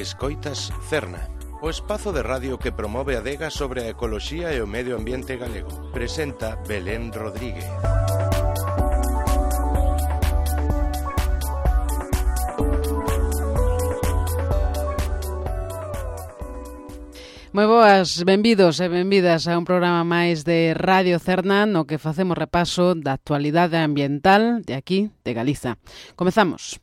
Escoitas Cerna, o espazo de radio que promove a adega sobre a ecoloxía e o medio ambiente galego. Presenta Belén Rodríguez. Moi boas, benvidos e benvidas a un programa máis de Radio Cerna no que facemos repaso da actualidade ambiental de aquí, de Galiza. Comezamos.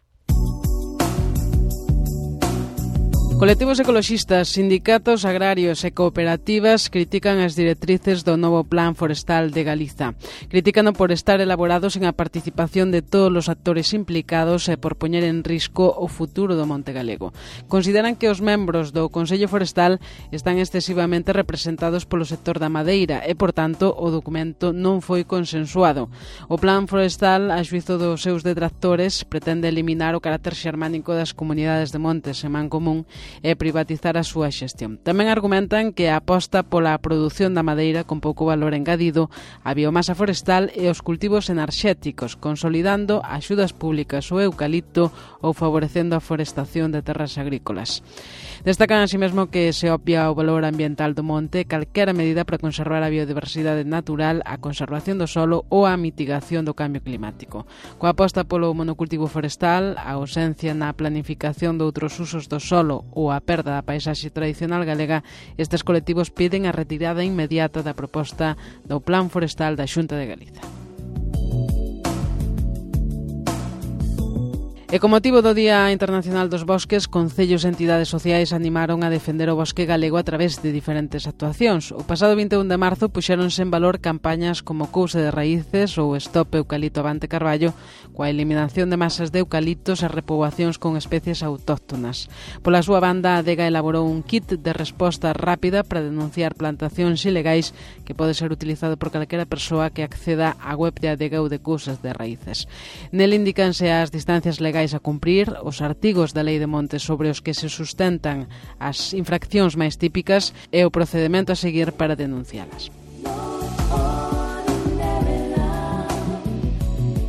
Colectivos ecoloxistas, sindicatos agrarios e cooperativas critican as directrices do novo Plan Forestal de Galiza. Critícano por estar elaborado sen a participación de todos os actores implicados e por poñer en risco o futuro do monte galego. Consideran que os membros do Consello Forestal están excesivamente representados polo sector da madeira e, por tanto, o documento non foi consensuado. O Plan Forestal, a xuízo dos seus detractores, pretende eliminar o carácter xermánico das comunidades de montes e mancomún e privatizar a súa xestión. Tamén argumentan que a aposta pola produción da madeira con pouco valor engadido, a biomasa forestal e os cultivos enerxéticos, consolidando axudas públicas ao eucalipto ou favorecendo a forestación de terras agrícolas. Destacan así mesmo que se obvia o valor ambiental do monte, calquera medida para conservar a biodiversidade natural, a conservación do solo ou a mitigación do cambio climático. Coa aposta polo monocultivo forestal, a ausencia na planificación de outros usos do solo ou a perda da paisaxe tradicional galega, estes colectivos piden a retirada inmediata da proposta do Plan Forestal da Xunta de Galiza. E con motivo do Día Internacional dos Bosques, concellos e entidades sociais animaron a defender o bosque galego a través de diferentes actuacións. O pasado 21 de marzo puxéronse en valor campañas como Couse de Raíces ou Stop Eucalipto Avante Carballo, coa eliminación de masas de eucaliptos e repoboacións con especies autóctonas. Pola súa banda, a adega elaborou un kit de resposta rápida para denunciar plantacións ilegais que pode ser utilizado por calquera persoa que acceda á web de adega ou de Cousas de Raíces. Nel indícanse as distancias legais a cumprir, os artigos da Lei de Montes sobre os que se sustentan as infraccións máis típicas e o procedemento a seguir para denuncialas.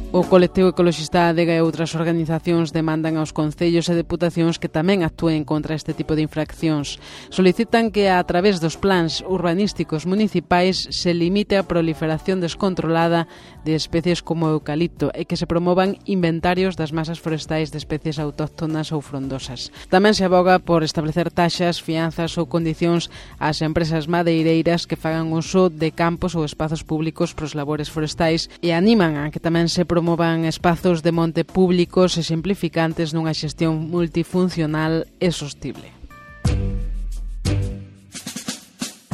O colectivo ecoloxista ADEGA e outras organizacións demandan aos concellos e deputacións que tamén actúen contra este tipo de infraccións. Solicitan que a través dos plans urbanísticos municipais se limite a proliferación descontrolada de especies como o eucalipto e que se promovan inventarios das masas forestais de especies autóctonas ou frondosas. Tamén se aboga por establecer taxas, fianzas ou condicións ás empresas madeireiras que fagan uso de campos ou espazos públicos pros labores forestais e animan a que tamén se promovan espazos de monte públicos e simplificantes nunha xestión multifuncional e sostible.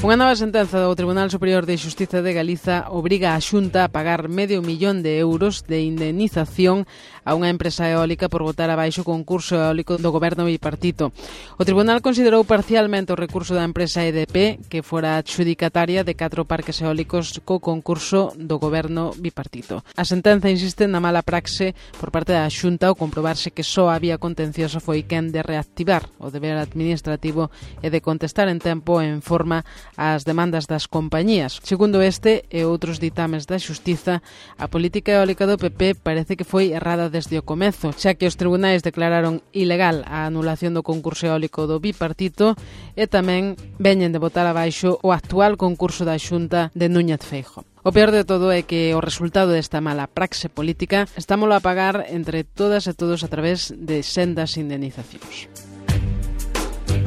Unha nova sentenza do Tribunal Superior de Xustiza de Galiza obriga a Xunta a pagar €500.000 de indemnización a unha empresa eólica por botar abaixo o concurso eólico do goberno bipartito. O Tribunal considerou parcialmente o recurso da empresa EDP, que fora adxudicataria de 4 parques eólicos co concurso do goberno bipartito. A sentenza insiste na mala praxe por parte da Xunta ao comprobarse que só a vía contenciosa foi quen de reactivar o deber administrativo e de contestar en tempo e en forma ás demandas das compañías. Segundo este e outros ditames da Xustiza, a política eólica do PP parece que foi errada desde o comezo, xa que os tribunais declararon ilegal a anulación do concurso eólico do bipartito e tamén veñen de botar abaixo o actual concurso da Xunta de Núñez Feijóo. O peor de todo é que o resultado desta mala praxe política estámolo a pagar entre todas e todos a través de sendas indemnizacións.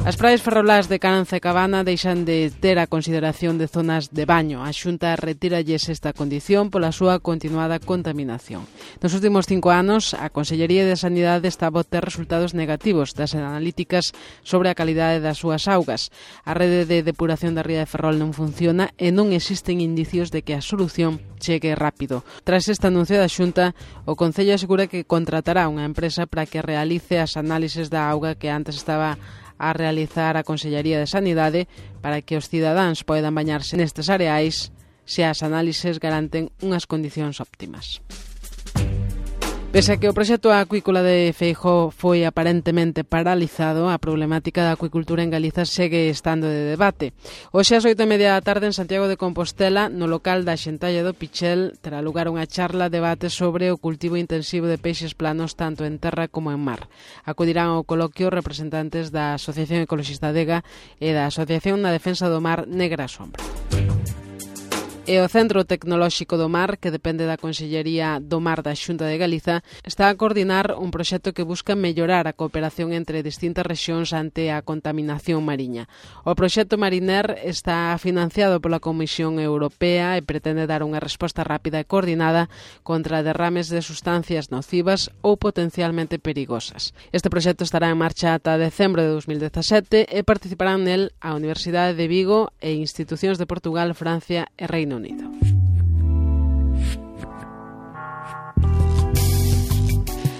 As praias ferrolás de Caranza e Cabana deixan de ter a consideración de zonas de baño. A Xunta retíralles esta condición pola súa continuada contaminación. Nos últimos 5 anos, a Consellería de Sanidade está a obter resultados negativos das analíticas sobre a calidade das súas augas. A rede de depuración da ría de Ferrol non funciona e non existen indicios de que a solución chegue rápido. Tras este anuncio da Xunta, o Concello asegura que contratará unha empresa para que realice as análises da auga que antes estaba a realizar a Consellería de Sanidade para que os cidadáns poidan bañarse nestes areais se as análises garanten unhas condicións óptimas. Pese a que o proxecto acuícola de Feijóo foi aparentemente paralizado, a problemática da acuicultura en Galiza segue estando de debate. Hoxe ás 8:30 da tarde en Santiago de Compostela, no local da Xentalla do Pichel, terá lugar unha charla debate sobre o cultivo intensivo de peixes planos tanto en terra como en mar. Acudirán ao coloquio representantes da Asociación Ecoloxista Adega e da Asociación na Defensa do Mar Negra Sombra. E o Centro Tecnolóxico do Mar, que depende da Consellería do Mar da Xunta de Galiza, está a coordinar un proxecto que busca mellorar a cooperación entre distintas rexións ante a contaminación mariña. O proxecto Mariner está financiado pola Comisión Europea e pretende dar unha resposta rápida e coordinada contra derrames de sustancias nocivas ou potencialmente perigosas. Este proxecto estará en marcha ata decembro de 2017 e participarán nel a Universidade de Vigo e institucións de Portugal, Francia e Reino Unido.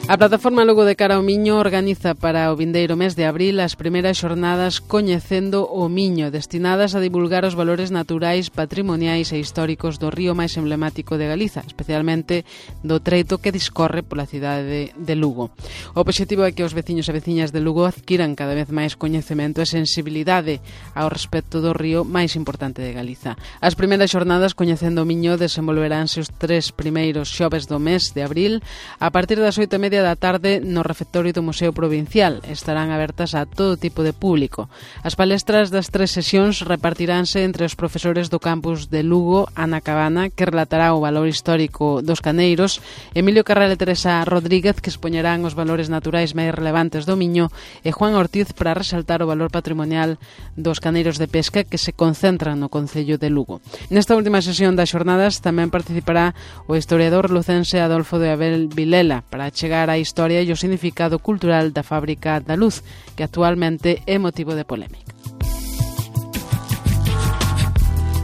A plataforma Lugo de Cara ao Miño organiza para o vindeiro mes de abril as primeiras xornadas Coñecendo o Miño, destinadas a divulgar os valores naturais, patrimoniais e históricos do río máis emblemático de Galiza, especialmente do treito que discorre pola cidade de Lugo. O obxectivo é que os veciños e veciñas de Lugo adquiran cada vez máis coñecemento e sensibilidade ao respecto do río máis importante de Galiza. As primeiras xornadas Coñecendo o Miño desenvolveránse os 3 primeiros xoves do mes de abril a partir das 8:30 da tarde no refectorio do Museo Provincial. Estarán abertas a todo tipo de público. As palestras das 3 sesións repartiránse entre os profesores do campus de Lugo, Ana Cabana, que relatará o valor histórico dos caneiros, Emilio Carral e Teresa Rodríguez, que expoñerán os valores naturais máis relevantes do Miño, e Juan Ortiz para resaltar o valor patrimonial dos caneiros de pesca que se concentran no concello de Lugo. Nesta última sesión das xornadas tamén participará o historiador lucense Adolfo de Abel Vilela para chegar a historia e o significado cultural da Fábrica da Luz, que actualmente é motivo de polémica.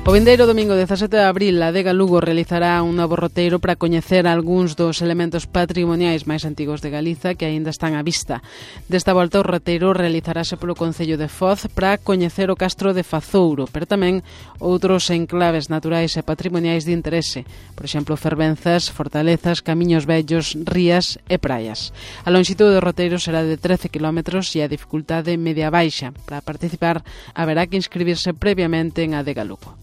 O vindeiro domingo 17 de abril, a Adega Lugo realizará un novo roteiro para coñecer algúns dos elementos patrimoniais máis antigos de Galiza que aínda están á vista. Desta volta, o roteiro realizarase polo concello de Foz para coñecer o castro de Fazouro, pero tamén outros enclaves naturais e patrimoniais de interese, por exemplo, fervenzas, fortalezas, camiños vellos, rías e praias. A lonxitude do roteiro será de 13 km e a dificultade media baixa. Para participar, haberá que inscribirse previamente en Adega Lugo.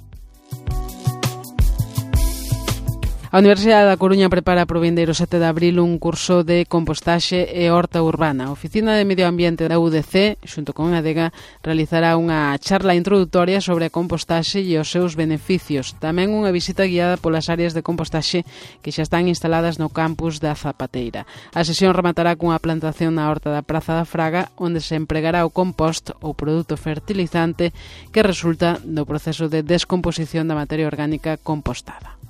A Universidade da Coruña prepara para o vindeiro 7 de abril un curso de compostaxe e horta urbana. A Oficina de Medio Ambiente da UDC, xunto con a Adega, realizará unha charla introductoria sobre a compostaxe e os seus beneficios. Tamén unha visita guiada polas áreas de compostaxe que xa están instaladas no campus da Zapateira. A sesión rematará cunha plantación na horta da Praza da Fraga, onde se empregará o compost ou produto fertilizante que resulta do proceso de descomposición da materia orgánica compostada.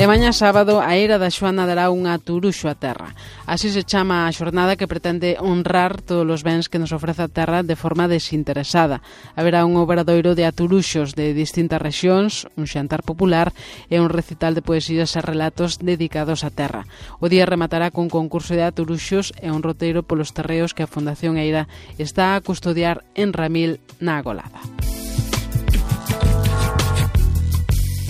E mañá sábado, a Eira da Xoana dará un aturuxo á terra. Así se chama a xornada que pretende honrar todos os bens que nos ofrece a terra de forma desinteresada. Haberá un obradoiro de aturuxos de distintas rexións, un xantar popular e un recital de poesías e relatos dedicados á terra. O día rematará cun concurso de aturuxos e un roteiro polos terreos que a Fundación Eira está a custodiar en Ramil, na Agolada.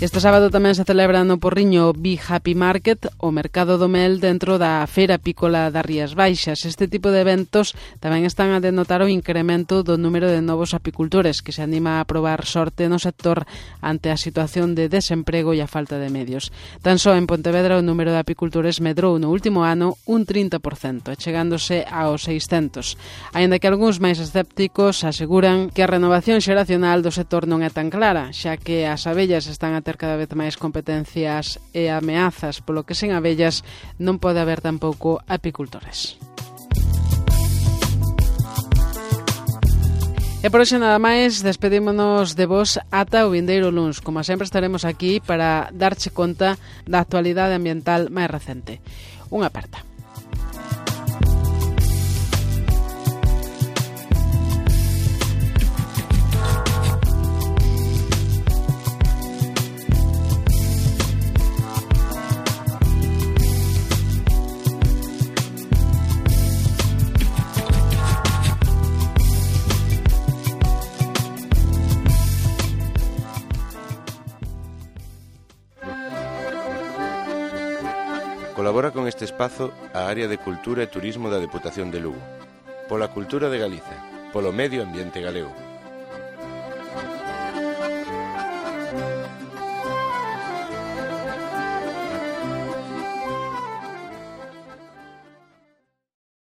Este sábado tamén se celebra no Porriño Bee Happy Market, o mercado do mel dentro da Feira Apícola das Rías Baixas. Este tipo de eventos tamén están a denotar o incremento do número de novos apicultores que se anima a probar sorte no sector ante a situación de desemprego e a falta de medios. Tan só en Pontevedra o número de apicultores medrou no último ano un 30%, chegándose aos 600. Aínda que algúns máis escépticos aseguran que a renovación xeracional do sector non é tan clara, xa que as abellas están a ter cada vez máis competencias e ameazas, polo que sen abellas non pode haber tampouco apicultores. E por hoxe nada máis, despedímonos de vos ata o vindeiro luns. Como sempre estaremos aquí para darche conta da actualidade ambiental máis recente. Unha aperta. este espazo a área de Cultura e Turismo da Deputación de Lugo. Pola cultura de Galiza, polo medio ambiente galego.